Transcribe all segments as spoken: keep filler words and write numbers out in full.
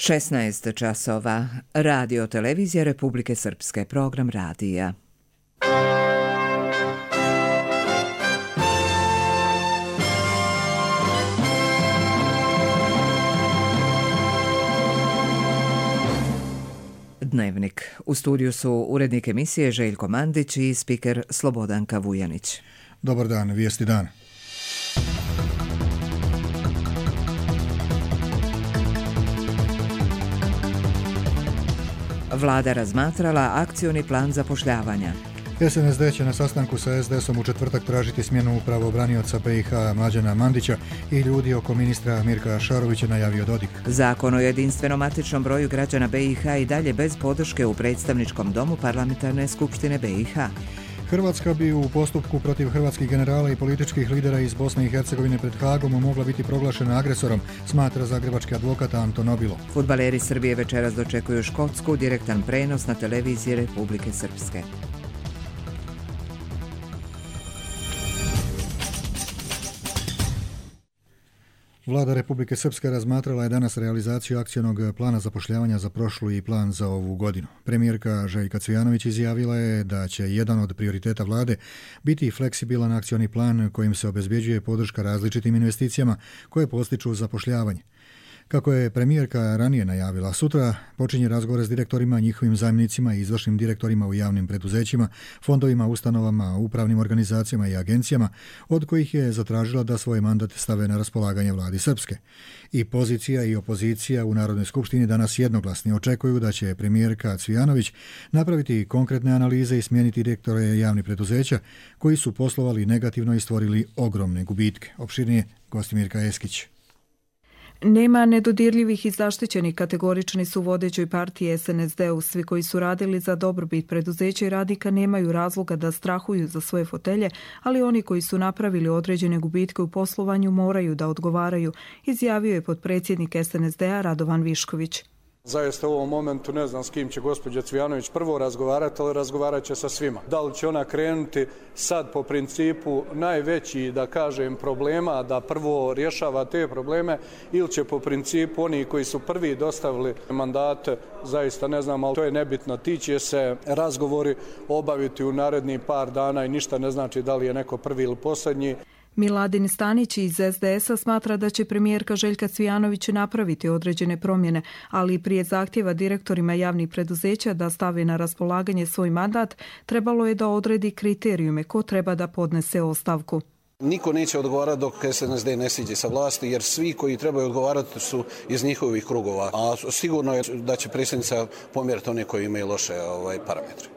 šesnaest časova. Radio Televizija Republike Srpske, program radija. Dnevnik. U studiju su urednik emisije Željko Mandić i spiker Slobodanka Vujanić. Dobar dan, vijesti dan. Vlada razmatrala akcioni plan zapošljavanja. S N S D će na sastanku sa S D S-om u četvrtak tražiti smjenu pravobranioca B i H Mlađana Mandića i ljudi oko ministra Mirka Šarovića, najavio Dodik. Zakon o jedinstvenom matičnom broju građana B i H i dalje bez podrške u predstavničkom domu Parlamentarne skupštine B i H. Hrvatska bi u postupku protiv hrvatskih generala i političkih lidera iz Bosne i Hercegovine pred Hagom mogla biti proglašena agresorom, smatra zagrebački advokat Anton Obilo. Fudbaleri Srbije večeras dočekuju Škotsku, direktan prenos na televiziji Republike Srpske. Vlada Republike Srpske razmatrala je danas realizaciju akcionog plana zapošljavanja za prošlu i plan za ovu godinu. Premijerka Željka Cvijanović izjavila je da će jedan od prioriteta vlade biti fleksibilan akcioni plan kojim se obezbjeđuje podrška različitim investicijama koje postiču zapošljavanje. Kako je premijerka ranije najavila, sutra počinje razgovor s direktorima, njihovim zamjenicima i izvršnim direktorima u javnim preduzećima, fondovima, ustanovama, upravnim organizacijama i agencijama, od kojih je zatražila da svoje mandate stave na raspolaganje vladi Srpske. I pozicija i opozicija u Narodnoj skupštini danas jednoglasno očekuju da će premijerka Cvijanović napraviti konkretne analize i smijeniti direktore javnih preduzeća koji su poslovali negativno i stvorili ogromne gubitke. Opširnije Gostimirka Eskić. Nema nedodirljivih i zaštićenih, kategorični su vodećoj partiji S N S D-u. Svi koji su radili za dobrobit preduzeća i radnika nemaju razloga da strahuju za svoje fotelje, ali oni koji su napravili određene gubitke u poslovanju moraju da odgovaraju, izjavio je potpredsjednik S N S D-a Radovan Višković. Zaista u ovom momentu ne znam s kim će gospođa Cvijanović prvo razgovarati, ali razgovarat će sa svima. Da li će ona krenuti sad po principu najveći, da kažem, problema, da prvo rješava te probleme, ili će po principu oni koji su prvi dostavili mandate, zaista ne znam, ali to je nebitno. Ti će se razgovori obaviti u narednih par dana i ništa ne znači da li je neko prvi ili posljednji. Miladin Stanić iz S D S-a smatra da će premijerka Željka Cvijanović napraviti određene promjene, ali prije zahtjeva direktorima javnih preduzeća da stave na raspolaganje svoj mandat, trebalo je da odredi kriterijume ko treba da podnese ostavku. Niko neće odgovarati dok S N S D ne siđe sa vlasti, jer svi koji trebaju odgovarati su iz njihovih krugova, a sigurno je da će predsjednica pomjeriti one koji imaju loše ovaj, parametre.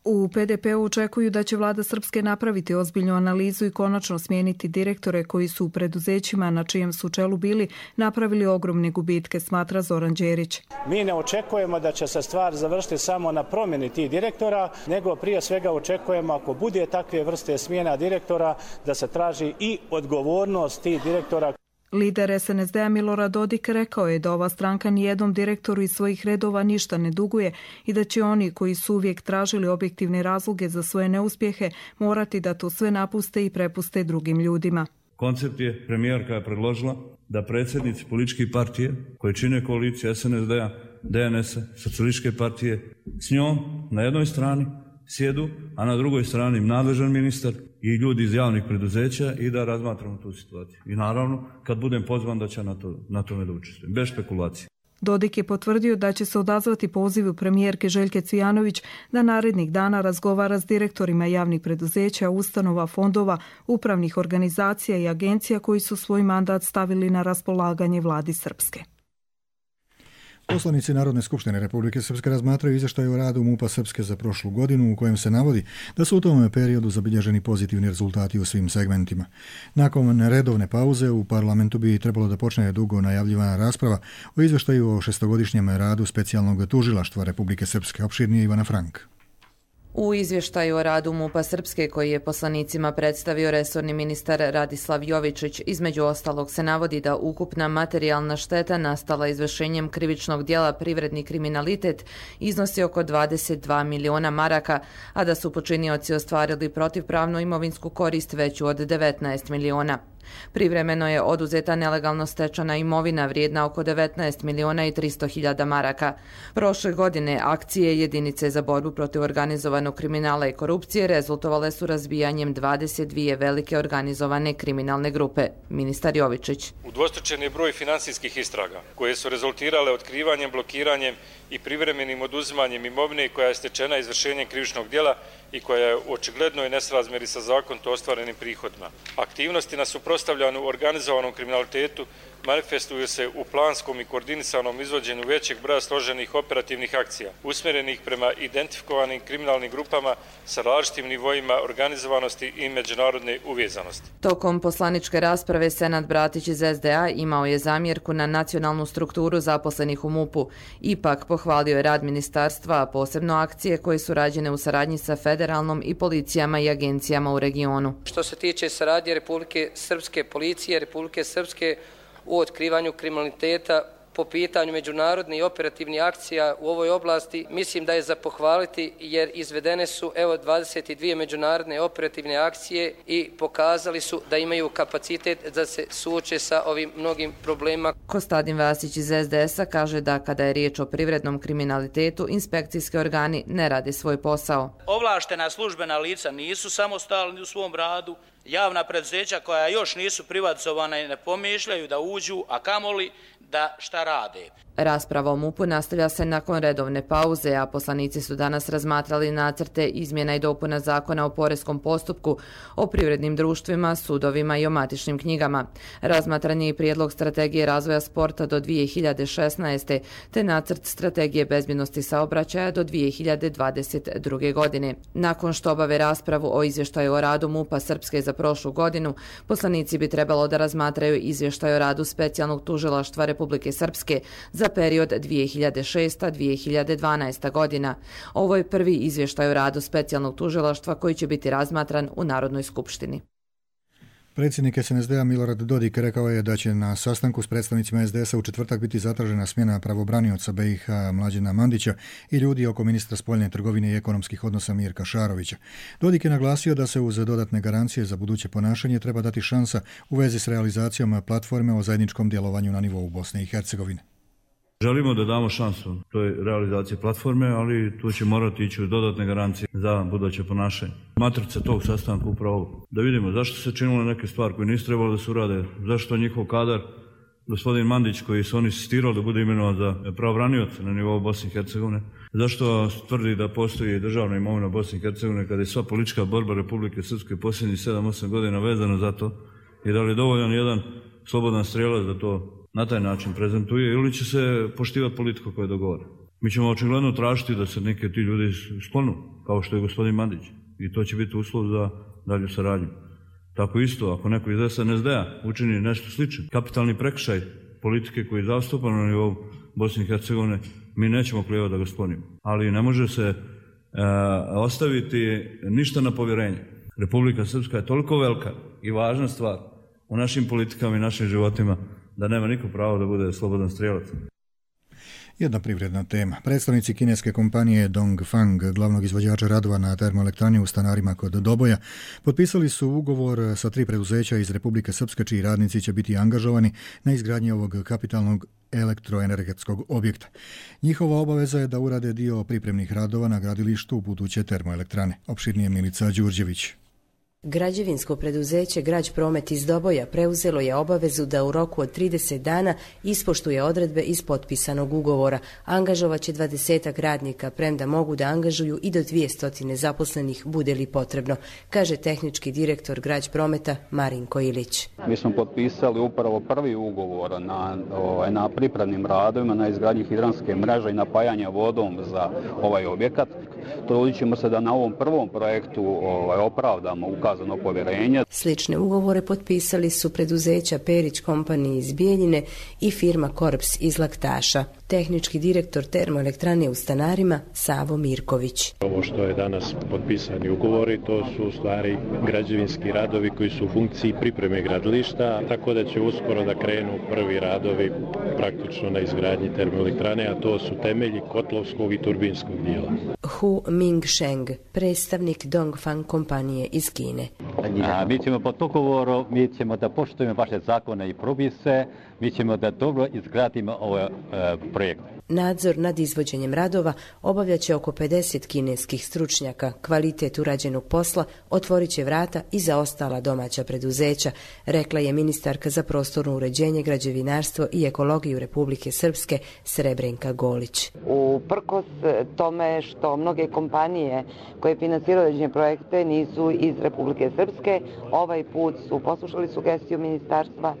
U P D P-u očekuju da će vlada Srpske napraviti ozbiljnu analizu i konačno smijeniti direktore koji su u preduzećima na čijem su čelu bili napravili ogromne gubitke, smatra Zoran Đerić. Mi ne očekujemo da će se stvar završiti samo na promjeni tih direktora, nego prije svega očekujemo, ako bude takve vrste smjena direktora, da se traži i odgovornost tih direktora. Lider S N S D-a Milorad Dodik rekao je da ova stranka nijednom direktoru iz svojih redova ništa ne duguje i da će oni koji su uvijek tražili objektivne razloge za svoje neuspjehe morati da to sve napuste i prepuste drugim ljudima. Koncept je, premijerka je predložila da predsjednici političkih partije koji čine koaliciju S N S D-a, D N S-a, socijalističke partije s njom na jednoj strani sjedu, a na drugoj strani nadležan ministar i ljudi iz javnih preduzeća i da razmatramo tu situaciju. I naravno, kad budem pozvan da će na, to, na tome da učestvujem, bez špekulacije. Dodik je potvrdio da će se odazvati pozivu premijerke Željke Cvijanović da narednih dana razgovara s direktorima javnih preduzeća, ustanova, fondova, upravnih organizacija i agencija koji su svoj mandat stavili na raspolaganje vladi Srpske. Poslanici Narodne skupštine Republike Srpske razmatraju izvještaj o radu MUP-a Srpske za prošlu godinu u kojem se navodi da su u tom periodu zabilježeni pozitivni rezultati u svim segmentima. Nakon redovne pauze u parlamentu bi trebalo da počne dugo najavljivana rasprava o izvještaju o šestogodišnjem radu specijalnog tužilaštva Republike Srpske. Opširnije Ivana Frank. U izvještaju o radu MUP-a Srpske koji je poslanicima predstavio resorni ministar Radislav Jovičić, između ostalog se navodi da ukupna materijalna šteta nastala izvršenjem krivičnog djela privredni kriminalitet iznosi oko dvadeset dva miliona maraka, a da su počinioci ostvarili protivpravnu imovinsku korist veću od devetnaest miliona. Privremeno je oduzeta nelegalno stečena imovina vrijedna oko devetnaest miliona i tristo hiljada maraka. Prošle godine akcije jedinice za borbu protiv organizovanog kriminala i korupcije rezultovale su razbijanjem dvadeset dvije velike organizovane kriminalne grupe. Ministar Jovičić. Udvostručen je broj finansijskih istraga koje su rezultirale otkrivanjem, blokiranjem i privremenim oduzimanjem imovine koja je stečena izvršenjem krivičnog djela i koja je u očiglednoj nesrazmjeri sa zakonito ostvarenim prihodima. Aktivnosti na suprotstavljanju organizovanom kriminalitetu manifestuju se u planskom i koordinisanom izvođenju većeg broja složenih operativnih akcija, usmjerenih prema identifikovanim kriminalnim grupama sa različitim nivoima organizovanosti i međunarodne uvezanosti. Tokom poslaničke rasprave Senad Bratić iz S D A imao je zamjerku na nacionalnu strukturu zaposlenih u MUP-u. Ipak pohvalio je rad ministarstva, a posebno akcije koje su rađene u saradnji sa federalnom i policijama i agencijama u regionu. Što se tiče saradnje Republike Srpske policije, Republike Srpske u otkrivanju kriminaliteta po pitanju međunarodnih i operativnih akcija u ovoj oblasti, mislim da je za pohvaliti jer izvedene su evo dvadeset dvije međunarodne operativne akcije i pokazali su da imaju kapacitet da se suoče sa ovim mnogim problemima. Kostadin Vasić iz S D S-a kaže da kada je riječ o privrednom kriminalitetu, inspekcijski organi ne rade svoj posao. Ovlaštena službena lica nisu samostalni u svom radu, javna preduzeća koja još nisu privatizovana i ne pomišljaju da uđu, a kamoli da šta rade. Rasprava o MUP-u nastavlja se nakon redovne pauze, a poslanici su danas razmatrali nacrte izmjena i dopuna zakona o poreskom postupku, o privrednim društvima, sudovima i o matičnim knjigama. Razmatran je i prijedlog strategije razvoja sporta do dvije hiljade šesnaeste. te nacrt strategije bezbjednosti saobraćaja do dvije hiljade dvadeset druge. godine. Nakon što obave raspravu o izvještaju o radu MUP-a Srpske za prošlu godinu, poslanici bi trebalo da razmatraju izvještaj o radu specijalnog tužilaštva Republike Srpske za period dvije hiljade šesta do dvije hiljade dvanaeste. godina. Ovo je prvi izvještaj o radu specijalnog tužilaštva koji će biti razmatran u Narodnoj skupštini. Predsjednik S N S D-a Milorad Dodik rekao je da će na sastanku s predstavnicima S D S-a u četvrtak biti zatražena smjena pravobranioca B i H Mlađena Mandića i ljudi oko ministra spoljne trgovine i ekonomskih odnosa Mirka Šarovića. Dodik je naglasio da se uz dodatne garancije za buduće ponašanje treba dati šansa u vezi s realizacijom platforme o zajedničkom djelovanju na nivou Bosne i Hercegovine. Želimo da damo šansu toj realizaciji platforme, ali tu će morati ići u dodatne garancije za buduće ponašanje. Matrica tog sastanka upravo da vidimo zašto se činilo neke stvari koje nisu trebalo da se urade, zašto njihov kadar, gospodin Mandić koji su oni insistirali da bude imenovan za pravobranioca na nivou Bosne i Hercegovine, zašto tvrdi da postoji državna imovina Bosne i Hercegovine kada je sva politička borba Republike Srpske posljednjih sedam osam godina vezana za to i da li je dovoljan jedan slobodan strijelac da to na taj način prezentuje ili će se poštivati politiku koja je dogovore. Mi ćemo očigledno tražiti da se neke ti ljudi sklonu, kao što je gospodin Mandić. I to će biti uslov za dalju saradnju. Tako isto, ako neko iz S N S D-a učini nešto slično, kapitalni prekršaj politike koji je zastupan na nivou Bosne i Hercegovine, mi nećemo klijevati da ga sklonimo. Ali ne može se e, ostaviti ništa na povjerenje. Republika Srpska je toliko velika i važna stvar u našim politikama i našim životima da nema niko pravo da bude slobodan strijelac. Jedna privredna tema. Predstavnici kineske kompanije Dongfang, glavnog izvođača radova na termoelektrani u Stanarima kod Doboja, potpisali su ugovor sa tri preduzeća iz Republike Srpske čiji radnici će biti angažovani na izgradnji ovog kapitalnog elektroenergetskog objekta. Njihova obaveza je da urade dio pripremnih radova na gradilištu buduće termoelektrane. Opširnije Milica Đurđević. Građevinsko preduzeće Građ Promet iz Doboja preuzelo je obavezu da u roku od trideset dana ispoštuje odredbe iz potpisanog ugovora. Angažovaće dvadesetak radnika, premda mogu da angažuju i do dvjesto zaposlenih bude li potrebno, kaže tehnički direktor Građ Prometa Marinko Ilić. Mi smo potpisali upravo prvi ugovor na, ovaj, na pripremnim radovima, na izgradnji hidranske mreže i napajanja vodom za ovaj objekat. Trudit ćemo se da na ovom prvom projektu ovaj, opravdamo ukazano povjerenje. Slične ugovore potpisali su preduzeća Perić Company iz Bijeljine i firma Korps iz Laktaša. Tehnički direktor termoelektrane u Stanarima Savo Mirković. Ovo što je danas potpisani ugovori, to su u stvari građevinski radovi koji su u funkciji pripreme gradilišta, tako da će uskoro da krenu prvi radovi praktično na izgradnji termoelektrane, a to su temelji kotlovskog i turbinskog dijela. Hu Mingsheng, predstavnik Dongfang kompanije iz Kine. A, mi ćemo po dogovoru, mi ćemo da poštujemo vaše zakone i propise, mi ćemo da dobro izgradimo ovaj e, projekt. Nadzor nad izvođenjem radova obavljat će oko pedeset kineskih stručnjaka. Kvalitet urađenog posla otvorit će vrata i za ostala domaća preduzeća, rekla je ministarka za prostorno uređenje, građevinarstvo i ekologiju Republike Srpske Srebrenka Golić. Uprkos tome što mnoge kompanije koje finansiraju određene projekte nisu iz Republike Srpske, ovaj put su poslušali sugestiju ministarstva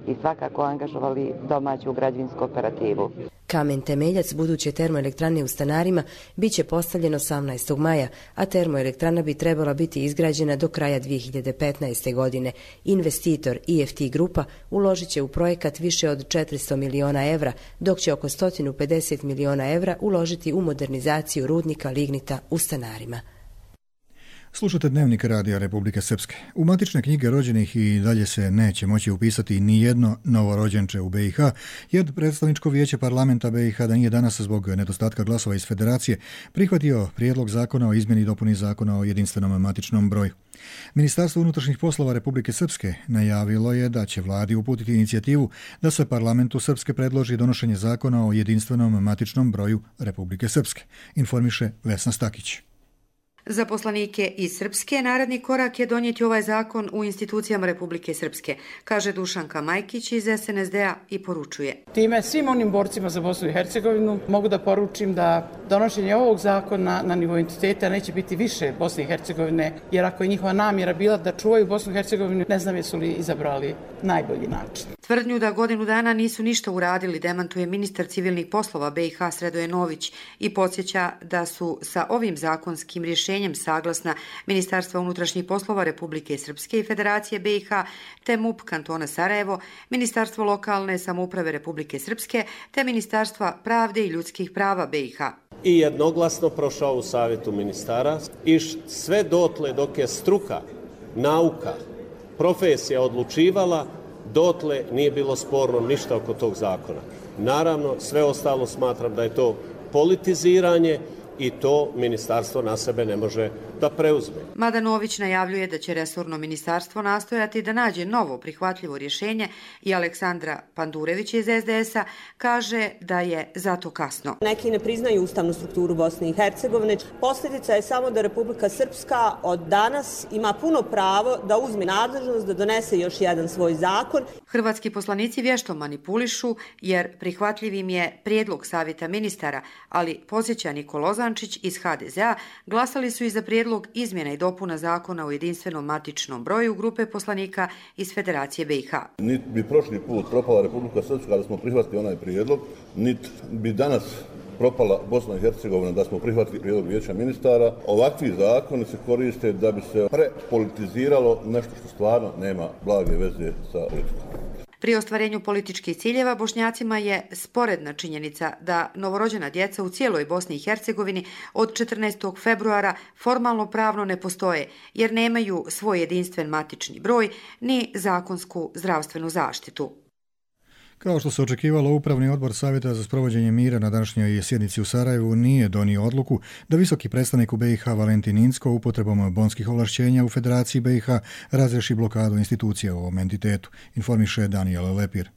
i svakako angažovali domaću građevinsku operativu. Kamen temeljac buduće termoelektrane u Stanarima bit će postavljen osamnaestog maja, a termoelektrana bi trebala biti izgrađena do kraja dvije hiljade petnaeste. godine. Investitor I F T grupa uložit će u projekat više od četiristo miliona evra, dok će oko sto pedeset miliona evra uložiti u modernizaciju rudnika lignita u Stanarima. Slušate Dnevnik Radija Republike Srpske. U matične knjige rođenih i dalje se neće moći upisati ni jedno novorođenče u B i H, jer predstavničko vijeće parlamenta B i H da nije danas zbog nedostatka glasova iz federacije prihvatio prijedlog zakona o izmjeni i dopuni zakona o jedinstvenom matičnom broju. Ministarstvo unutrašnjih poslova Republike Srpske najavilo je da će vladi uputiti inicijativu da se parlamentu Srpske predloži donošenje zakona o jedinstvenom matičnom broju Republike Srpske, informiše Vesna Stakić. Za poslanike iz Srpske naredni korak je donijeti ovaj zakon u institucijama Republike Srpske, kaže Dušanka Majkić iz S N S D-a i poručuje. Time svim onim borcima za Bosnu i Hercegovinu mogu da poručim da donošenje ovog zakona na nivou entiteta neće biti više Bosne i Hercegovine, jer ako je njihova namjera bila da čuvaju Bosnu i Hercegovinu, ne znam jesu li izabrali najbolji način. Tvrdnju da godinu dana nisu ništa uradili demantuje ministar civilnih poslova B i H Sredoje Nović i podsjeća da su sa ovim zakonskim rješenjem saglasna Ministarstva unutrašnjih poslova Republike Srpske i Federacije B i H, te M U P kantona Sarajevo, Ministarstvo lokalne samouprave Republike Srpske, te Ministarstva pravde i ljudskih prava B i H. I jednoglasno prošao u savjetu ministara i sve dotle dok je struka, nauka, profesija odlučivala, dotle nije bilo sporno ništa oko tog zakona. Naravno, sve ostalo smatram da je to politiziranje i to ministarstvo na sebe ne može da preuzme. Mada Nović najavljuje da će resorno ministarstvo nastojati da nađe novo prihvatljivo rješenje i Aleksandra Pandurević iz S D S-a kaže da je zato kasno. Neki ne priznaju ustavnu strukturu Bosne i Hercegovine. Posljedica je samo da Republika Srpska od danas ima puno pravo da uzme nadležnost da donese još jedan svoj zakon. Hrvatski poslanici vješto manipulišu jer prihvatljivim je prijedlog savjeta ministara, ali podsjeća Nikola Ozančić iz H D Z-a glasali su i za prijedlog izmjena i dopuna zakona o jedinstvenom matičnom broju grupe poslanika iz Federacije B i H. Niti bi prošli put propala Republika Srpska da smo prihvatili onaj prijedlog, niti bi danas propala Bosna i Hercegovina da smo prihvatili prijedlog vijeća ministara. Ovakvi zakoni se koriste da bi se prepolitiziralo nešto što stvarno nema blage veze sa politikom. Pri ostvarenju političkih ciljeva Bošnjacima je sporedna činjenica da novorođena djeca u cijeloj Bosni i Hercegovini od četrnaestog februara formalno pravno ne postoje jer nemaju svoj jedinstven matični broj ni zakonsku zdravstvenu zaštitu. Kao što se očekivalo, Upravni odbor Savjeta za sprovođenje mira na današnjoj sjednici u Sarajevu nije donio odluku da visoki predstavnik u B i H Valentin Incko upotrebom bonskih ovlašćenja u Federaciji B i H razreši blokadu institucija u ovom entitetu, informiše Daniel Lepir.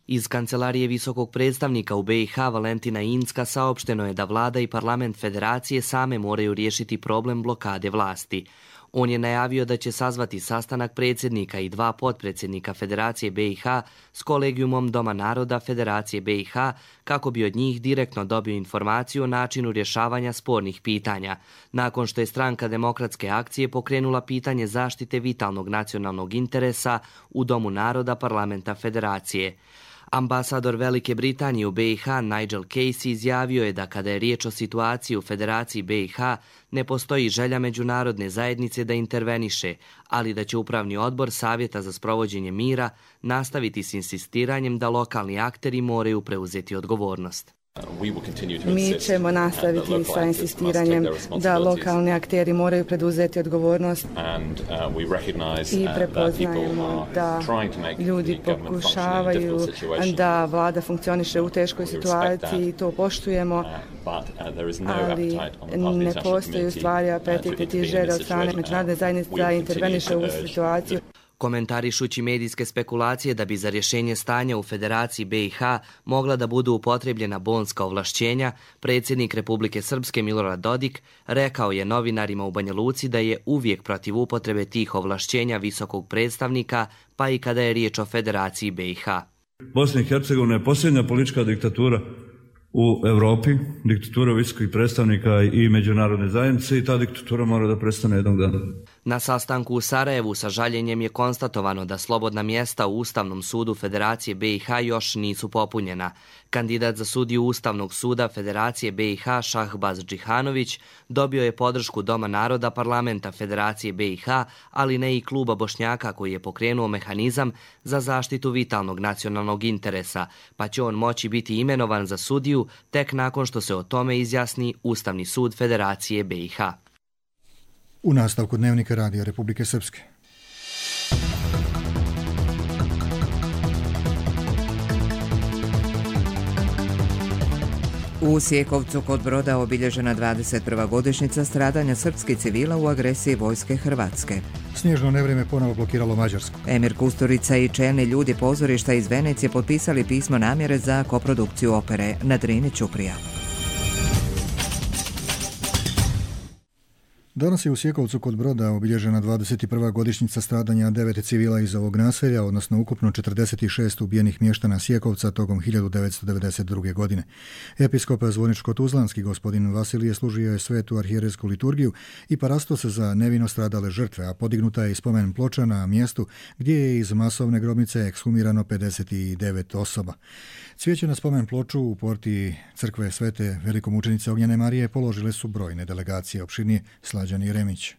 Iz kancelarije visokog predstavnika u B i H Valentina Incka saopšteno je da vlada i parlament Federacije same moraju riješiti problem blokade vlasti. On je najavio da će sazvati sastanak predsjednika i dva potpredsjednika Federacije B i H s kolegijumom Doma naroda Federacije B i H kako bi od njih direktno dobio informaciju o načinu rješavanja spornih pitanja, nakon što je stranka Demokratske akcije pokrenula pitanje zaštite vitalnog nacionalnog interesa u Domu naroda parlamenta Federacije. Ambasador Velike Britanije u B i H Nigel Casey izjavio je da kada je riječ o situaciji u Federaciji B i H ne postoji želja međunarodne zajednice da interveniše, ali da će Upravni odbor Savjeta za sprovođenje mira nastaviti s insistiranjem da lokalni akteri moraju preuzeti odgovornost. Mi ćemo nastaviti sa insistiranjem da lokalni akteri moraju preduzeti odgovornost i prepoznajemo da ljudi pokušavaju da vlada funkcioniše u teškoj situaciji i to poštujemo, ali ne postoji u stvari apetit i želja od strane međunarodne zajednice da interveniše u situaciju. Komentarišući medijske spekulacije da bi za rješenje stanja u Federaciji B i H mogla da budu upotrebljena bonska ovlašćenja, predsjednik Republike Srpske Milorad Dodik rekao je novinarima u Banja Luci da je uvijek protiv upotrebe tih ovlašćenja visokog predstavnika, pa i kada je riječ o Federaciji B i H. Bosna i Hercegovina je posljednja politička diktatura u Europi, diktatura visokih predstavnika i međunarodne zajednice, i ta diktatura mora da prestane jednog dana. Na sastanku u Sarajevu sa žaljenjem je konstatovano da slobodna mjesta u Ustavnom sudu Federacije B i H još nisu popunjena. Kandidat za sudiju Ustavnog suda Federacije B i H Šahbaz Džihanović dobio je podršku Doma naroda parlamenta Federacije B i H, ali ne i kluba Bošnjaka koji je pokrenuo mehanizam za zaštitu vitalnog nacionalnog interesa, pa će on moći biti imenovan za sudiju tek nakon što se o tome izjasni Ustavni sud Federacije B i H. U nastavku Dnevnika Radija Republike Srpske. U Sjekovcu kod Broda obilježena dvadeset prva godišnjica stradanja srpskih civila u agresiji vojske Hrvatske. Snježno nevrijeme ponovo blokiralo Mađarsku. Emir Kusturica i čelni ljudi pozorišta iz Venecije potpisali pismo namjere za koprodukciju opere na Drini Ćuprija. Danas je u Sjekovcu kod Broda obilježena dvadeset prva godišnjica stradanja devet civila iz ovog naselja, odnosno ukupno četrdeset šest ubijenih mještana Sjekovca tokom hiljadu devetsto devedeset druge. godine. Episkop Zvorničko-Tuzlanski gospodin Vasilije služio je svetu arhijerejsku liturgiju i parasto se za nevino stradale žrtve, a podignuta je i spomen ploča na mjestu gdje je iz masovne grobnice ekshumirano pedeset devet osoba. Cvijeće na spomen ploču u porti crkve Svete velikomučenice Ognjene Marije položile su brojne delegacije. Opširnije Slađani Remić.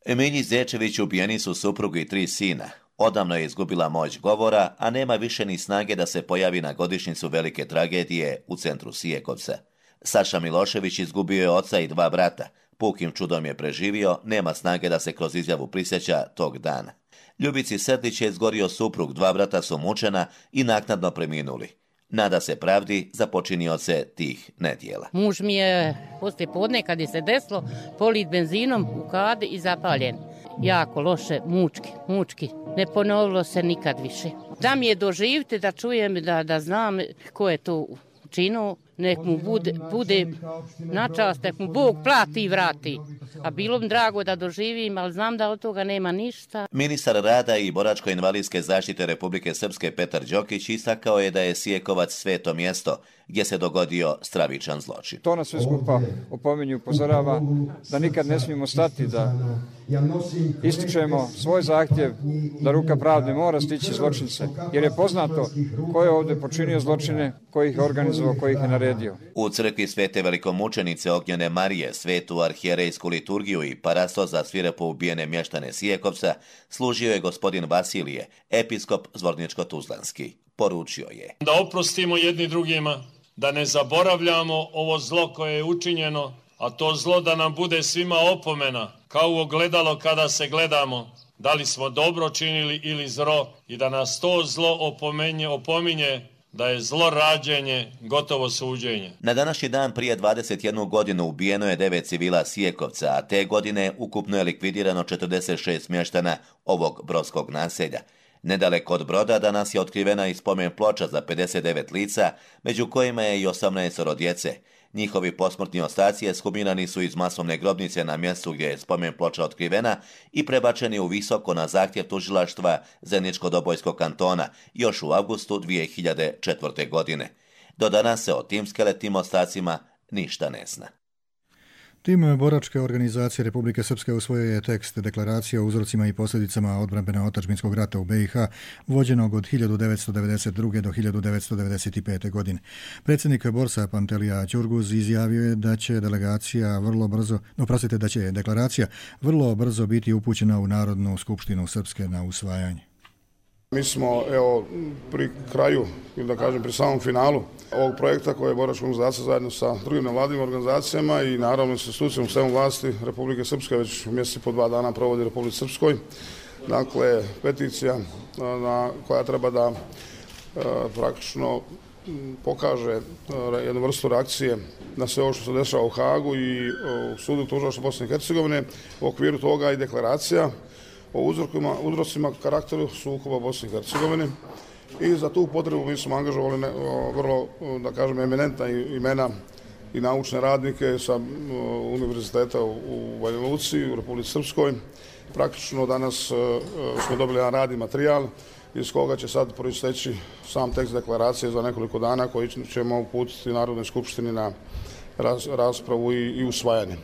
Emilji Zečević ubijeni su supruga i tri sina. Odavno je izgubila moć govora, a nema više ni snage da se pojavi na godišnjicu velike tragedije u centru Sijekovca. Saša Milošević izgubio je oca i dva brata. Pukim čudom je preživio, nema snage da se kroz izjavu prisjeća tog dana. Ljubici Srdić je izgorio suprug, dva brata su mučena i naknadno preminuli. Nada se pravdi za počinioce tih nedjela. Muž mi je poslije podne kad je se desilo polit benzinom u kadi i zapaljen. Jako loše, mučki, mučki. Ne ponovilo se nikad više. Da mi je doživite, da čujem, da, da znam ko je to učinio, nek mu bude, bude na čast, nek mu Bog plati i vrati. A bilo mi drago da doživim, ali znam da od toga nema ništa. Ministar rada i boračko-invalidske zaštite Republike Srpske Petar Đokić istakao je da je Sijekovac sveto mjesto gdje se dogodio stravičan zločin. To nas sve skupa opominju, upozorava da nikad ne smijemo stati, da ističemo svoj zahtjev da ruka pravde mora stići zločince, jer je poznato ko je ovdje počinio zločine, ko ih je organizovao, ko ih je naredio. U crkvi Svete velikomučenice Ognjene Marije, svetu arhijerejsku liturgiju i parasto za svirepo ubijene mještane Sijekovca služio je gospodin Vasilije, episkop Zvorničko-Tuzlanski. Poručio je: da oprostimo jedni drugima, da ne zaboravljamo ovo zlo koje je učinjeno, a to zlo da nam bude svima opomena, kao u ogledalo kada se gledamo, da li smo dobro činili ili zlo, i da nas to zlo opomenje, opominje da je zlo rađenje gotovo suđenje. Na današnji dan prije dvadeset jednu godinu ubijeno je devet civila Sijekovca, a te godine ukupno je likvidirano četrdeset šest mještana ovog brodskog naselja. Nedaleko od Broda danas je otkrivena i spomen ploča za pedeset devet lica, među kojima je i osamnaest djece. Njihovi posmrtni ostaci ekshumirani su iz masovne grobnice na mjestu gdje je spomen ploča otkrivena i prebačeni u Visoko na zahtjev tužilaštva Zeničko-Dobojskog kantona još u avgustu dvije hiljade četvrte. godine. Do danas se o tim skeletnim ostacima ništa ne zna. Tim boračke organizacije Republike Srpske usvojio je tekst deklaracije o uzrocima i posljedicama odbrambeno-otadžbinskog rata u B i H, vođenog od hiljadu devetsto devedeset druge. do hiljadu devetsto devedeset pete. godine. Predsjednik Borsa Pantelija Ćurguz izjavio je da će delegacija vrlo brzo, oprostite, da će deklaracija vrlo brzo biti upućena u Narodnu skupštinu Srpske na usvajanje. Mi smo evo, pri kraju, ili da kažem pri samom finalu ovog projekta koje je boračka organizacija zajedno sa drugim nevladinim organizacijama i naravno sa institucijom svemu vlasti Republike Srpske već mjesec i po dva dana provodi Republike Srpskoj. Dakle, peticija na, koja treba da e, praktično pokaže jednu vrstu reakcije na sve ovo što se dešava u Hagu i u sudu tužilaštva Bosne i Hercegovine. U okviru toga i deklaracija o uzrokima, uzrocima karakteru sukoba Bosne i Hercegovine. I za tu potrebu mi smo angažovali ne, vrlo, da kažem, eminentna imena i naučne radnike sa univerziteta u Banja Luci, u Republici Srpskoj. Praktično danas smo dobili jedan radni materijal iz koga će sad proisteći sam tekst deklaracije za nekoliko dana koji ćemo uputiti Narodnoj skupštini na raspravu i, i usvajanje.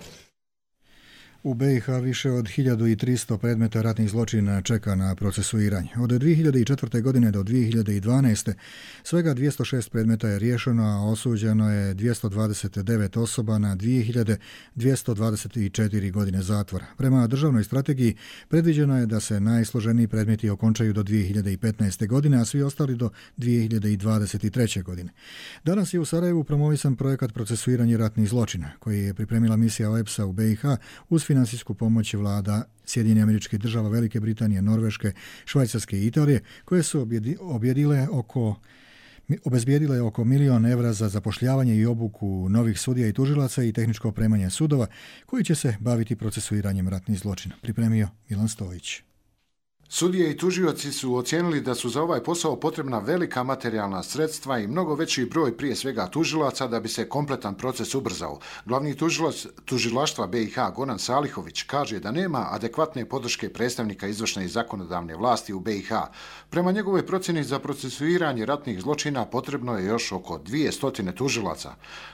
U be i ha više od hiljadu tristo predmeta ratnih zločina čeka na procesuiranje. Od dvije hiljade četvrte. godine do dvije hiljade dvanaeste. svega dvjesto šest predmeta je riješeno, a osuđeno je dvjesto dvadeset devet osoba na dvije hiljade dvjesto dvadeset četiri godine zatvora. Prema državnoj strategiji predviđeno je da se najsloženiji predmeti okončaju do dvije hiljade petnaeste. godine, a svi ostali do dvije hiljade dvadeset treće. godine. Danas je u Sarajevu promovisan projekat procesuiranja ratnih zločina, koji je pripremila misija o e pe es a u be i ha uz finansijsku pomoć vlada Sjedinjenih Američkih Država, Velike Britanije, Norveške, Švajcarske i Italije, koje su objedile oko obezbijedile oko milion evra za zapošljavanje i obuku novih sudija i tužilaca i tehničko opremanje sudova koji će se baviti procesuiranjem ratnih zločina. Pripremio Milan Stojić. Sudije i tužioci su ocijenili da su za ovaj posao potrebna velika materijalna sredstva i mnogo veći broj prije svega tužilaca da bi se kompletan proces ubrzao. Glavni tužilac tužilaštva be i ha Goran Salihović kaže da nema adekvatne podrške predstavnika izvršne i zakonodavne vlasti u be i ha. Prema njegovoj procjeni za procesuiranje ratnih zločina potrebno je još oko dvjesto tužilaca.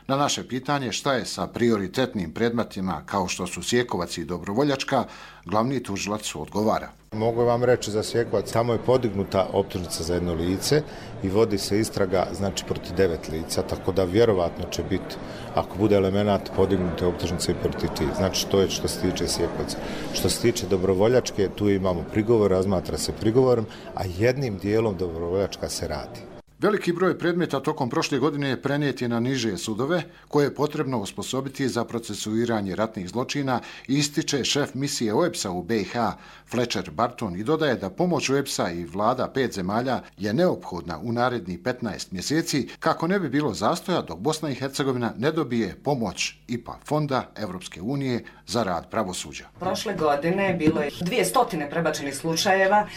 Na naše pitanje šta je sa prioritetnim predmetima kao što su Sjekovac i Dobrovoljačka, glavni tužilac odgovara. Mogu vam reći za Sjekovac, tamo je podignuta optužnica za jedno lice i vodi se istraga, znači, protiv devet lica, tako da vjerovatno će biti, ako bude elemenat, podignute optužnice i protiv tih. Znači, to je što se tiče Sjekovca. Što se tiče Dobrovoljačke, tu imamo prigovor, razmatra se prigovorom, a jednim dijelom Dobrovoljačka se radi. Veliki broj predmeta tokom prošle godine je prenijet na niže sudove koje je potrebno osposobiti za procesuiranje ratnih zločina, ističe šef misije o e pe es a u be i ha Fletcher Barton i dodaje da pomoć o e pe es a i vlada pet zemalja je neophodna u narednih petnaest mjeseci kako ne bi bilo zastoja dok Bosna i Hercegovina ne dobije pomoć I P A fonda Evropske unije za rad pravosuđa. Prošle godine bilo je dvjesto prebačenih slučajeva,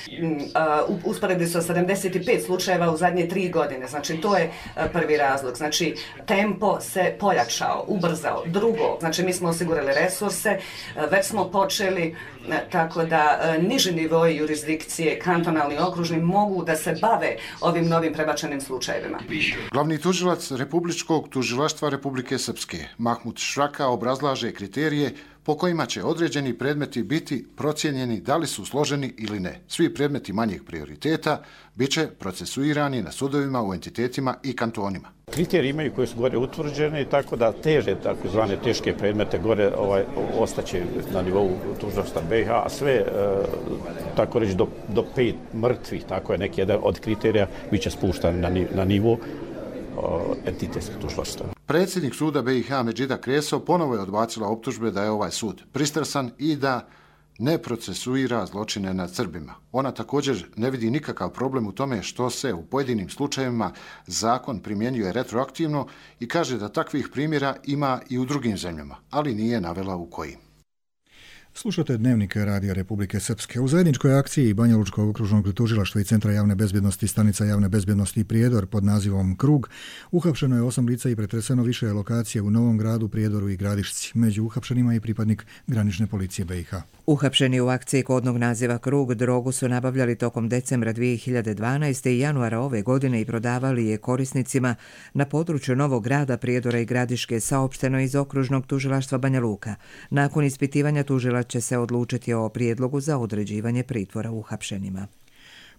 u usporedbi sa sedamdeset pet slučajeva u zadnje tri godine. Znači, to je prvi razlog. Znači, tempo se pojačao, ubrzao. Drugo, znači, mi smo osigurali resurse, već smo počeli, tako da niži nivoi jurisdikcije, kantonalni, okružni, mogu da se bave ovim novim prebačenim slučajevima. Glavni tužilac Republičkog tužilaštva Republike Srpske, Mahmud Šraka, obrazlaže kriterije po kojima će određeni predmeti biti procijenjeni da li su složeni ili ne. Svi predmeti manjih prioriteta bit će procesuirani na sudovima u entitetima i kantonima. Kriteriji imaju koje su gore utvrđene, tako da teže, takozvane teške predmete gore ovaj, ostaće na nivou tužilaštva be i ha, a sve, e, tako reći, do, do pet mrtvih, tako je neki jedan od kriterija, bit će spuštan na, na nivou entitetskog tužilaštva. Predsjednik suda be i ha Medžida Kreso ponovo je odbacila optužbe da je ovaj sud pristrasan i da ne procesuira zločine nad Srbima. Ona također ne vidi nikakav problem u tome što se u pojedinim slučajevima zakon primjenjuje retroaktivno i kaže da takvih primjera ima i u drugim zemljama, ali nije navela u kojim. Slušate Dnevnik Radija Republike Srpske. U zajedničkoj akciji Banja Lučkog okružnog tužilaštva i Centra javne bezbjednosti stanica javne bezbjednosti Prijedor pod nazivom Krug uhapšeno je osam lica i pretreseno više lokacije u Novom Gradu, Prijedoru i Gradišci. Među uhapšenima i pripadnik granične policije be i ha. Uhapšeni u akciji kodnog naziva Krug drogu su nabavljali tokom decembra dvije hiljade dvanaeste. i januara ove godine i prodavali je korisnicima na području Novog Grada, Prijedora i Gradiške, saopšteno iz okružnog tužilaštva Banja Luka. Nakon ispitivanja tužilaštva će se odlučiti o prijedlogu za određivanje pritvora uhapšenima.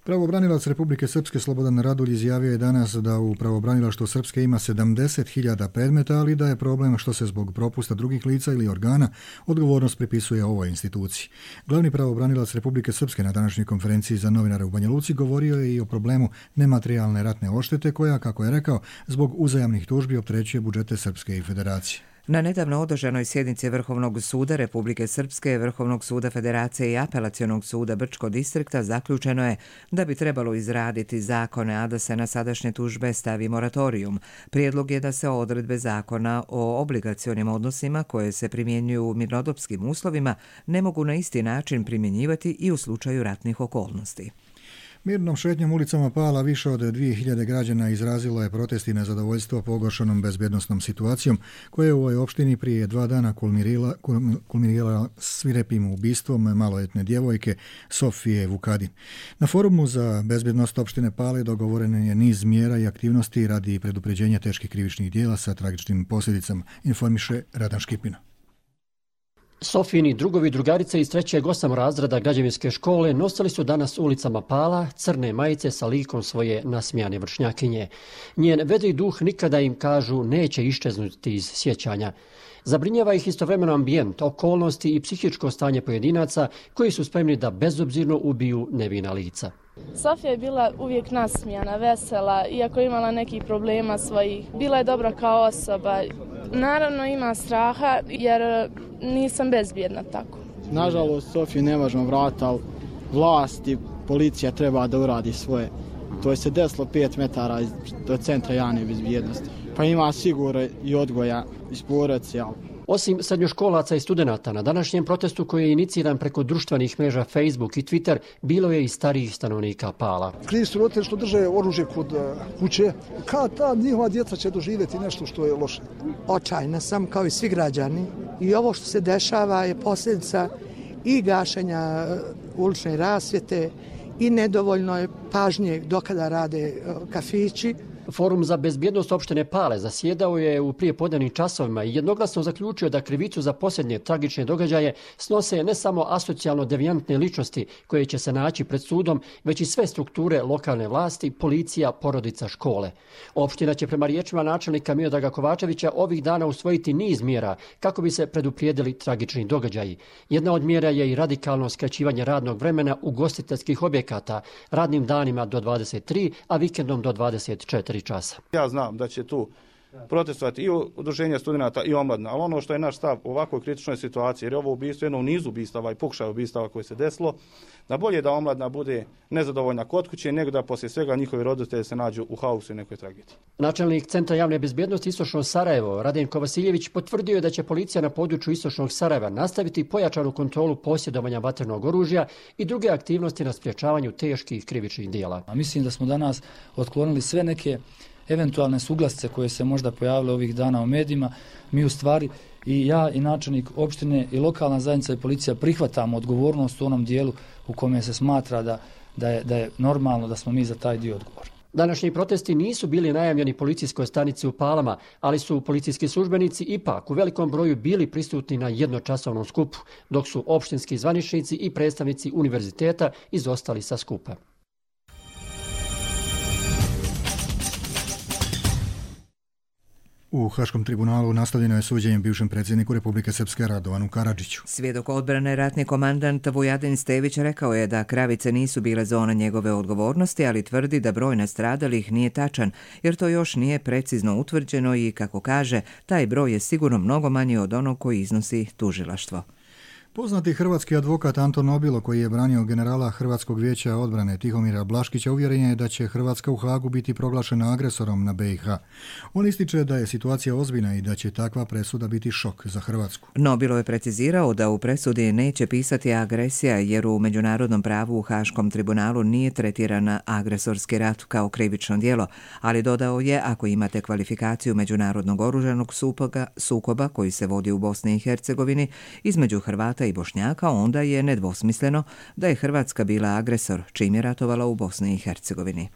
Pravobranilac Republike Srpske Slobodan Radulj izjavio je danas da u pravobranilaštvu Srpske ima sedamdeset hiljada predmeta, ali da je problem što se zbog propusta drugih lica ili organa odgovornost pripisuje ovoj instituciji. Glavni pravobranilac Republike Srpske na današnjoj konferenciji za novinare u Banja Luci govorio je i o problemu nematerijalne ratne odštete koja, kako je rekao, zbog uzajamnih tužbi opterećuje budžete Srpske i Federacije. Na nedavno održanoj sjednici Vrhovnog suda Republike Srpske, Vrhovnog suda Federacije i Apelacionog suda Brčko distrikta zaključeno je da bi trebalo izraditi zakone, a da se na sadašnje tužbe stavi moratorijum. Prijedlog je da se odredbe zakona o obligacionim odnosima koje se primjenjuju u mirnodopskim uslovima ne mogu na isti način primjenjivati i u slučaju ratnih okolnosti. Mirnom šetnjom ulicama Pala više od dvije hiljade građana izrazilo je protest i nezadovoljstvo pogoršanom bezbjednosnom situacijom koja je u ovoj opštini prije dva dana kulminirala, kulminirala svirepim ubistvom maloletne djevojke Sofije Vukadin. Na forumu za bezbjednost opštine Pale dogovoren je niz mjera i aktivnosti radi predupređenja teških krivičnih dijela sa tragičnim posljedicama, informiše Radan Škipina. Sofijini drugovi i drugarice iz trećeg osam razreda građevinske škole nosili su danas ulicama Pala crne majice sa likom svoje nasmijane vršnjakinje. Njen vedri duh nikada, im kažu, neće iščeznuti iz sjećanja. Zabrinjava ih istovremeno ambijent, okolnosti i psihičko stanje pojedinaca koji su spremni da bezobzirno ubiju nevina lica. Sofija je bila uvijek nasmijana, vesela, iako je imala nekih problema svojih. Bila je dobra kao osoba. Naravno ima straha jer nisam bezbjedna tako. Nažalost, Sofiju ne možemo vratiti, ali vlast i policija treba da uradi svoje. To je se desilo pet metara do centra javne bezbjednosti. Pa ima sigurno i odgoja iz porodice, ali Osim srednjoškolaca i studenata, na današnjem protestu koji je iniciran preko društvenih mreža Facebook i Twitter, bilo je i starijih stanovnika Pala. Krivi su roditelji što drže oružje kod kuće. Kad ta njihova djeca će doživjeti nešto što je loše? Očajna sam kao i svi građani i ovo što se dešava je posljedica i gašenja ulične rasvjete i nedovoljno je pažnje dokada rade kafići. Forum za bezbjednost opštine Pale zasjedao je u prijepodnevnim časovima i jednoglasno zaključio da krivicu za posljednje tragične događaje snose ne samo asocijalno devijantne ličnosti koje će se naći pred sudom, već i sve strukture lokalne vlasti, policija, porodica, škole. Opština će prema riječima načelnika Miodraga Kovačevića ovih dana usvojiti niz mjera kako bi se preduprijedili tragični događaji. Jedna od mjera je i radikalno skraćivanje radnog vremena ugostiteljskih objekata radnim danima do dvadeset tri, a vikendom do dvadeset četiri časa. Ja znam da će tu protestovati i udruženja studenata i omladina, ali ono što je naš stav u ovakvoj kritičnoj situaciji, jer je ovo ubistvo jedno u nizu ubistava i pokušaj ubistava koje se desilo, da bolje da omladina bude nezadovoljna kod kuće, nego da poslije svega njihovi roditelji se nađu u haosu i nekoj tragediji. Načelnik Centra javne bezbjednosti Istočno Sarajevo, Radenko Vasiljević, potvrdio je da će policija na području Istočnog Sarajeva nastaviti pojačanu kontrolu posjedovanja vatrenog oružja i druge aktivnosti na sprječavanju teških krivičnih djela. A mislim da smo danas otklonili sve neke eventualne suglasce koje se možda pojavile ovih dana u medijima. Mi u stvari i ja i načelnik opštine i lokalna zajednica i policija prihvatamo odgovornost u onom dijelu u kome se smatra da, da, je, da je normalno da smo mi za taj dio odgovorni. Današnji protesti nisu bili najavljeni policijskoj stanici u Palama, ali su policijski službenici ipak u velikom broju bili prisutni na jednočasovnom skupu, dok su opštinski zvaničnici i predstavnici univerziteta izostali sa skupa. U Haškom tribunalu nastavljeno je suđenje bivšem predsjedniku Republike Srpske Radovanu Karadžiću. Svjedok odbrane ratni komandant Vujadin Stević rekao je da Kravice nisu bile zona njegove odgovornosti, ali tvrdi da broj nastradalih nije tačan, jer to još nije precizno utvrđeno i, kako kaže, taj broj je sigurno mnogo manji od onog koji iznosi tužilaštvo. Poznati hrvatski advokat Anton Nobilo, koji je branio generala Hrvatskog vijeća odbrane Tihomira Blaškića, uvjeren je da će Hrvatska u Hagu biti proglašena agresorom na be i ha. On ističe da je situacija ozbiljna i da će takva presuda biti šok za Hrvatsku. Nobilo je precizirao da u presudi neće pisati agresija, jer u međunarodnom pravu u Haškom tribunalu nije tretirana agresorski rat kao krivično djelo, ali dodao je, ako imate kvalifikaciju međunarodnog oružanog sukoba, sukoba koji se vodi u Bosni i Hercegovini između Hrvata i Bošnjaka, onda je nedvosmisleno da je Hrvatska bila agresor čim je ratovala u Bosni i Hercegovini.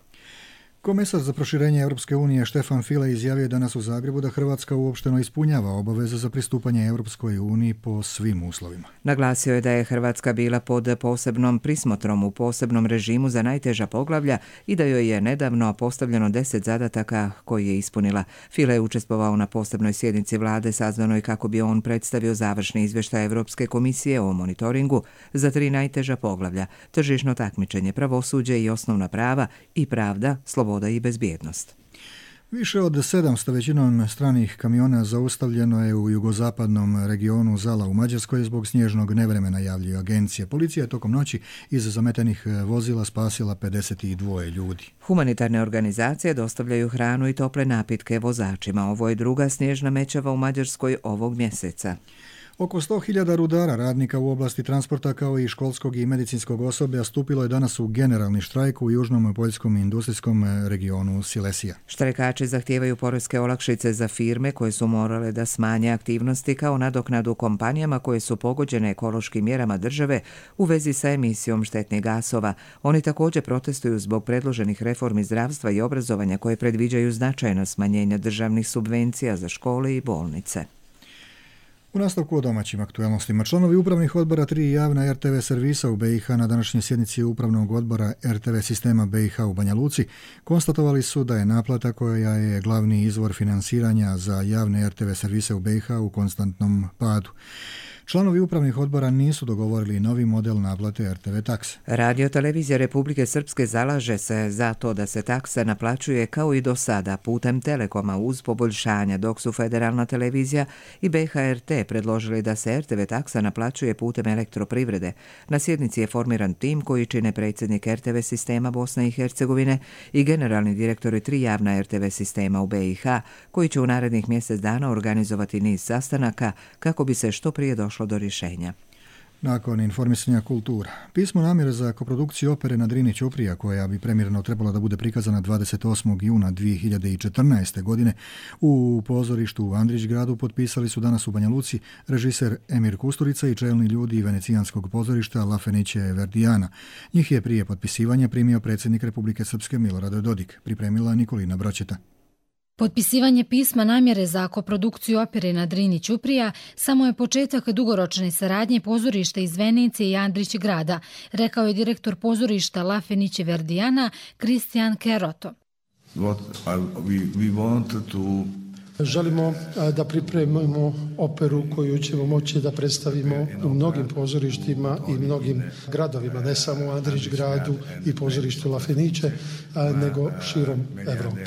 Komesar za proširenje Europske unije Štefan File izjavio danas u Zagrebu da Hrvatska uopšteno ispunjava obaveze za pristupanje Europskoj uniji po svim uslovima. Naglasio je da je Hrvatska bila pod posebnom prismotrom u posebnom režimu za najteža poglavlja i da joj je nedavno postavljeno deset zadataka koji je ispunila. File je učestvovao na posebnoj sjednici vlade sazvanoj kako bi on predstavio završni izvještaj Europske komisije o monitoringu za tri najteža poglavlja: tržišno takmičenje, pravosuđe i osnovna prava i pravda, sloboda i bezbjednost. Više od sedamsto većinom stranih kamiona zaustavljeno je u jugozapadnom regionu Zala u Mađarskoj zbog snježnog nevremena, javljaju agencije. Policija je tokom noći iz zametenih vozila spasila pedeset dva ljudi. Humanitarne organizacije dostavljaju hranu i tople napitke vozačima. Ovo je druga snježna mećava u Mađarskoj ovog mjeseca. Oko sto hiljada rudara, radnika u oblasti transporta kao i školskog i medicinskog osoblja stupilo je danas u generalni štrajk u južnom poljskom industrijskom regionu Silesija. Štrajkači zahtijevaju poreske olakšice za firme koje su morale da smanje aktivnosti kao nadoknadu kompanijama koje su pogođene ekološkim mjerama države u vezi sa emisijom štetnih gasova. Oni također protestuju zbog predloženih reformi zdravstva i obrazovanja koje predviđaju značajno smanjenje državnih subvencija za škole i bolnice. U nastavku o domaćim aktualnostima, članovi upravnih odbora tri javna er te ve servisa u be i ha na današnjoj sjednici upravnog odbora er te ve sistema be i ha u Banja Luci konstatovali su da je naplata koja je glavni izvor finansiranja za javne er te ve servise u be i ha u konstantnom padu. Članovi upravnih odbora nisu dogovorili novi model naplate er te ve takse. Radio televizija Republike Srpske zalaže se za to da se taksa naplaćuje kao i do sada putem Telekoma uz poboljšanja, dok su Federalna televizija i be ha er te predložili da se er te ve taksa naplaćuje putem elektroprivrede. Na sjednici je formiran tim koji čine predsjednik er te ve sistema Bosne i Hercegovine i generalni direktori tri javna er te ve sistema u be i ha, koji će u narednih mjesec dana organizovati niz sastanaka kako bi se što prije došlo do rješenja. Nakon informisanja kultura, pismo namjere za koprodukciju opere na Drini Ćuprija, koja bi premjerno trebala da bude prikazana dvadeset osmog juna dvije hiljade četrnaeste. godine u pozorištu u Andrićgradu, potpisali su danas u Banja Luci režiser Emir Kusturica i čelni ljudi venecijanskog pozorišta La Fenice Verdijana. Njih je prije potpisivanja primio predsjednik Republike Srpske Milorad Dodik, pripremila Nikolina Bročeta. Potpisivanje pisma namjere za koprodukciju opere na Drini Ćuprija samo je početak dugoročne saradnje pozorišta iz Venecije i Andrićgrada, rekao je direktor pozorišta La Fenice Verdijana Kristijan Keroto. What we, we wanted to... Želimo da pripremimo operu koju ćemo moći da predstavimo u mnogim pozorištima i mnogim gradovima, ne samo u Andrićgradu i pozorištu La Fenice, nego širom Evrope.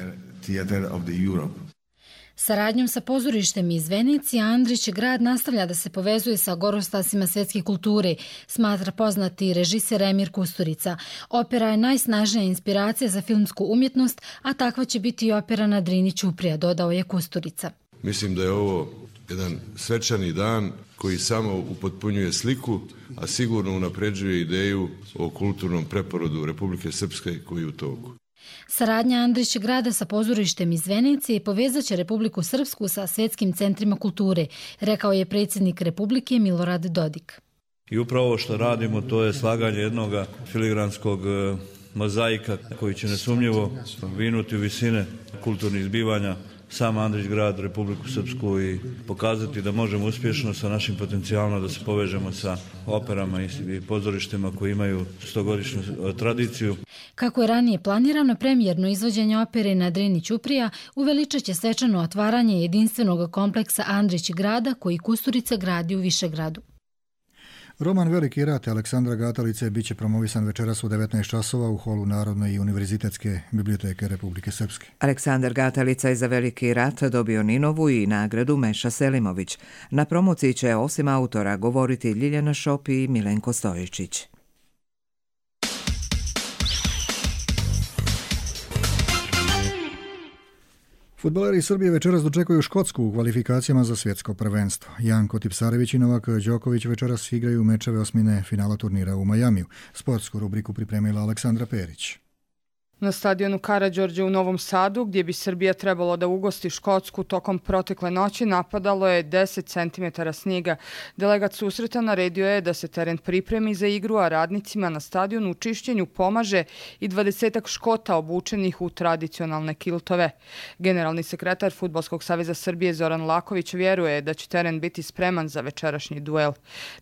Saradnjom sa pozorištem iz Venecije, Andrićgrad nastavlja da se povezuje sa gorostasima svjetske kulture, smatra poznati režiser Emir Kusturica. Opera je najsnažnija inspiracija za filmsku umjetnost, a takva će biti i opera na Drini Ćuprija, dodao je Kusturica. Mislim da je ovo jedan svečani dan koji samo upotpunjuje sliku, a sigurno unapređuje ideju o kulturnom preporodu Republike Srpske koji je u toku. Saradnja Andrićgrada sa pozorištem iz Venecije povezat će Republiku Srpsku sa svjetskim centrima kulture, rekao je predsjednik Republike Milorad Dodik. I upravo ovo što radimo, to je slaganje jednog filigranskog mozaika koji će nesumnjivo vinuti u visine kulturnih zbivanja sam Andrićgrad, Republiku Srpsku i pokazati da možemo uspješno sa našim potencijalima da se povežemo sa operama i pozorištima koji imaju stogodišnju tradiciju. Kako je ranije planirano, premijerno izvođenje opere na Drini Ćuprija uveličat će svečano otvaranje jedinstvenog kompleksa Andrićgrada koji Kusturica gradi u Višegradu. Roman Veliki rat Aleksandra Gatalice biće promovisan večeras u devetnaest časova u holu Narodne i univerzitetske biblioteke Republike Srpske. Aleksandar Gatalica je za Veliki rat dobio Ninovu i nagradu Meša Selimović. Na promociji će osim autora govoriti Ljiljana Šop i Milenko Stojičić. Fudbaleri Srbije večeras dočekuju Škotsku u kvalifikacijama za svjetsko prvenstvo. Janko Tipsarević i Novak Đoković večeras igraju mečeve osmine finala turnira u Majamiju. Sportsku rubriku pripremila Aleksandra Perić. Na stadionu Karađorđe u Novom Sadu, gdje bi Srbija trebalo da ugosti Škotsku, tokom protekle noći napadalo je deset centimetara snijega. Delegat susreta naredio je da se teren pripremi za igru, a radnicima na stadionu u čišćenju pomaže i dvadesetak Škota obučenih u tradicionalne kiltove. Generalni sekretar Fudbalskog saveza Srbije Zoran Laković vjeruje da će teren biti spreman za večerašnji duel.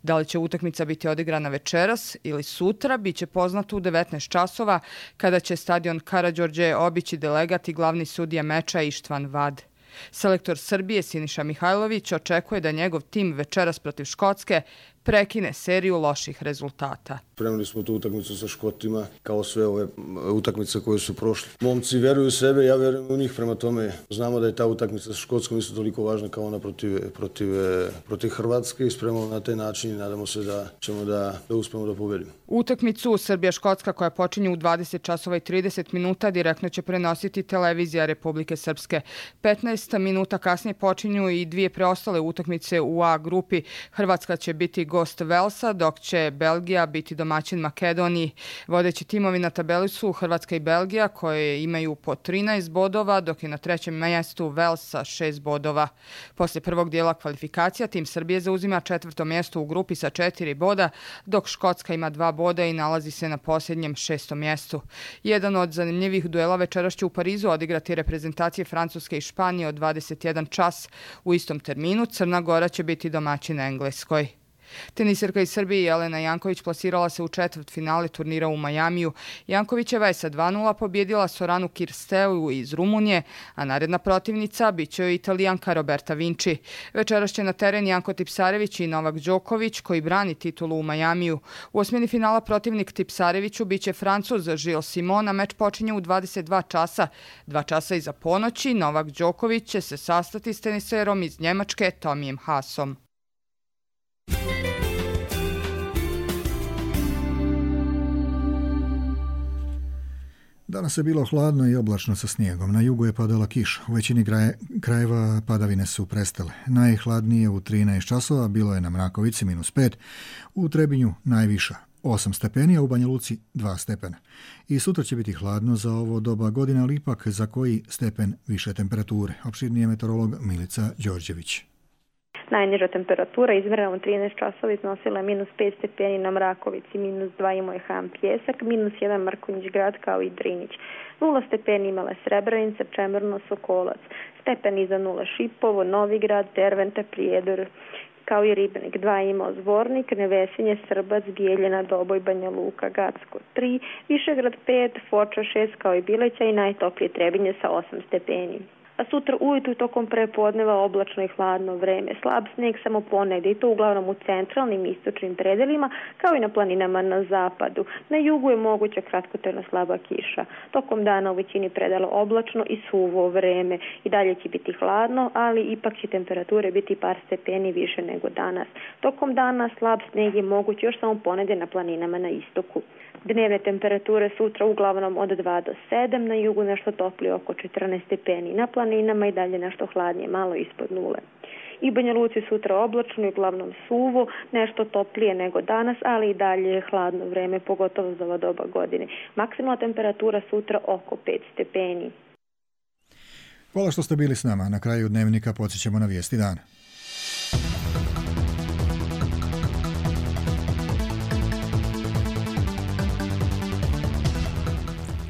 Da li će utakmica biti odigrana večeras ili sutra, bit će poznato u devetnaest časova, kada će stadion Karađorđe obići delegat i glavni sudija meča Ištvan Vad. Selektor Srbije Siniša Mihajlović očekuje da njegov tim večeras protiv Škotske prekine seriju loših rezultata. Spremili smo tu utakmicu sa Škotima, kao sve ove utakmice koje su prošle. Momci vjeruju u sebe, ja vjerujem u njih, prema tome znamo da je ta utakmica sa Škotskom isto toliko važna kao ona protiv, protiv, protiv Hrvatske i spremamo na taj način i nadamo se da ćemo da, da uspemo da pobedimo. Utakmicu Srbija-Škotska, koja počinje u dvadeset časova i trideset minuta, direktno će prenositi televizija Republike Srpske. petnaest minuta kasnije počinju i dvije preostale utakmice u A grupi. Hrvatska će biti gost Velsa, dok će Belgija biti domaćin Makedoniji. Vodeći timovi na tabeli su Hrvatska i Belgija, koje imaju po trinaest bodova, dok je na trećem mjestu Vels sa šest bodova. Poslije prvog dijela kvalifikacija, tim Srbije zauzima četvrto mjesto u grupi sa četiri boda, dok Škotska ima dva boda i nalazi se na posljednjem šestom mjestu. Jedan od zanimljivih duela večeras će u Parizu odigrati reprezentacije Francuske i Španije od dvadeset jedan čas. U istom terminu Crna Gora će biti domaćin Engleskoj. Teniserka iz Srbije Jelena Janković plasirala se u četvrt finale turnira u Majamiju. Jankovićeva je sa dva nula pobjedila Soranu Kirsteu iz Rumunije, a naredna protivnica bit će Italijanka Roberta Vinci. Večeras će na teren Janko Tipsarević i Novak Đoković, koji brani titulu u Majamiju. U osmini finala protivnik Tipsareviću bit će Francuz Gilles Simon, a meč počinje u dvadeset dva časa. Dva časa iza ponoći Novak Đoković će se sastati s teniserom iz Njemačke Tomijem Haasom. Danas je bilo hladno i oblačno sa snijegom. Na jugu je padala kiša. U većini krajeva padavine su prestale. Najhladnije u trinaest časova bilo je na Mrakovici minus pet, u Trebinju najviša osam stepeni, a u Banja Luci dva stepena. I sutra će biti hladno za ovo doba godine, ali ipak za koji stepen više temperature. Opširnije meteorolog Milica Đorđević. Najniža temperatura izmjerena u trinaest časova iznosila minus pet stepeni na Mrakovici, minus dva imao je Ham Pjesak, minus jedan Mrkonjić grad kao i Drinić. Nula stepeni imala je Srebrenica, Čemerno, Sokolac, stepen iza nula Šipovo, Novigrad, Dervente, Prijedor, kao i Ribenik. Dva imao Zvornik, Nevesinje, Srbac, Bijeljina, Doboj, Banja Luka, Gacko tri, Višegrad pet, Foča šest kao i Bileća i najtoplije Trebinje sa osam stepeni. A sutra ujutru tokom prepodneva oblačno i hladno vreme. Slab snijeg samo ponegdje i to uglavnom u centralnim i istočnim predelima, kao i na planinama na zapadu. Na jugu je moguća kratkotrajna slaba kiša. Tokom dana u većini predela oblačno i suvo vreme. I dalje će biti hladno, ali ipak će temperature biti par stepeni više nego danas. Tokom dana slab snijeg je moguć još samo ponegdje na planinama na istoku. Dnevne temperature sutra uglavnom od dva do sedam, na jugu nešto toplije oko četrnaest stepeni, na planinama i dalje nešto hladnije, malo ispod nule. I Banja Luci sutra oblačno i uglavnom suvo, nešto toplije nego danas, ali i dalje je hladno vreme, pogotovo za ova doba godine. Maksimalna temperatura sutra oko pet stepeni. Hvala što ste bili s nama. Na kraju dnevnika podsjećamo na vijesti dana.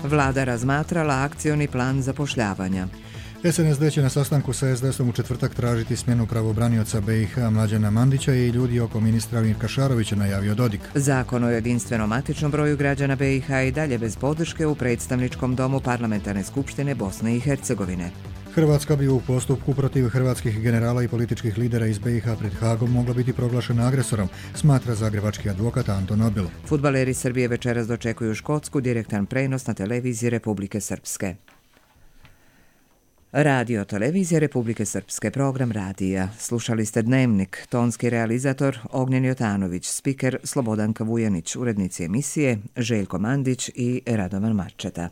Vlada razmatrala akcioni plan zapošljavanja. S N S D će na sastanku sa S D S-om u četvrtak tražiti smjenu pravobranioca B i H Mlađana Mandića i ljudi oko ministra Mirka Šarovića, najavio Dodik. Zakon o jedinstvenom matičnom broju građana B i H i dalje bez podrške u predstavničkom domu Parlamentarne skupštine Bosne i Hercegovine. Hrvatska bi u postupku protiv hrvatskih generala i političkih lidera iz B i H pred Hagom mogla biti proglašena agresorom, smatra zagrebački advokat Anton Nobil. Fudbaleri Srbije večeras dočekuju Škotsku, direktan prenos na televiziji Republike Srpske. Radio televizija Republike Srpske, program radija. Slušali ste Dnevnik, tonski realizator Ognjen Jotanović, spiker Slobodanka Vujanić, urednici emisije Željko Mandić i Radovan Marčeta.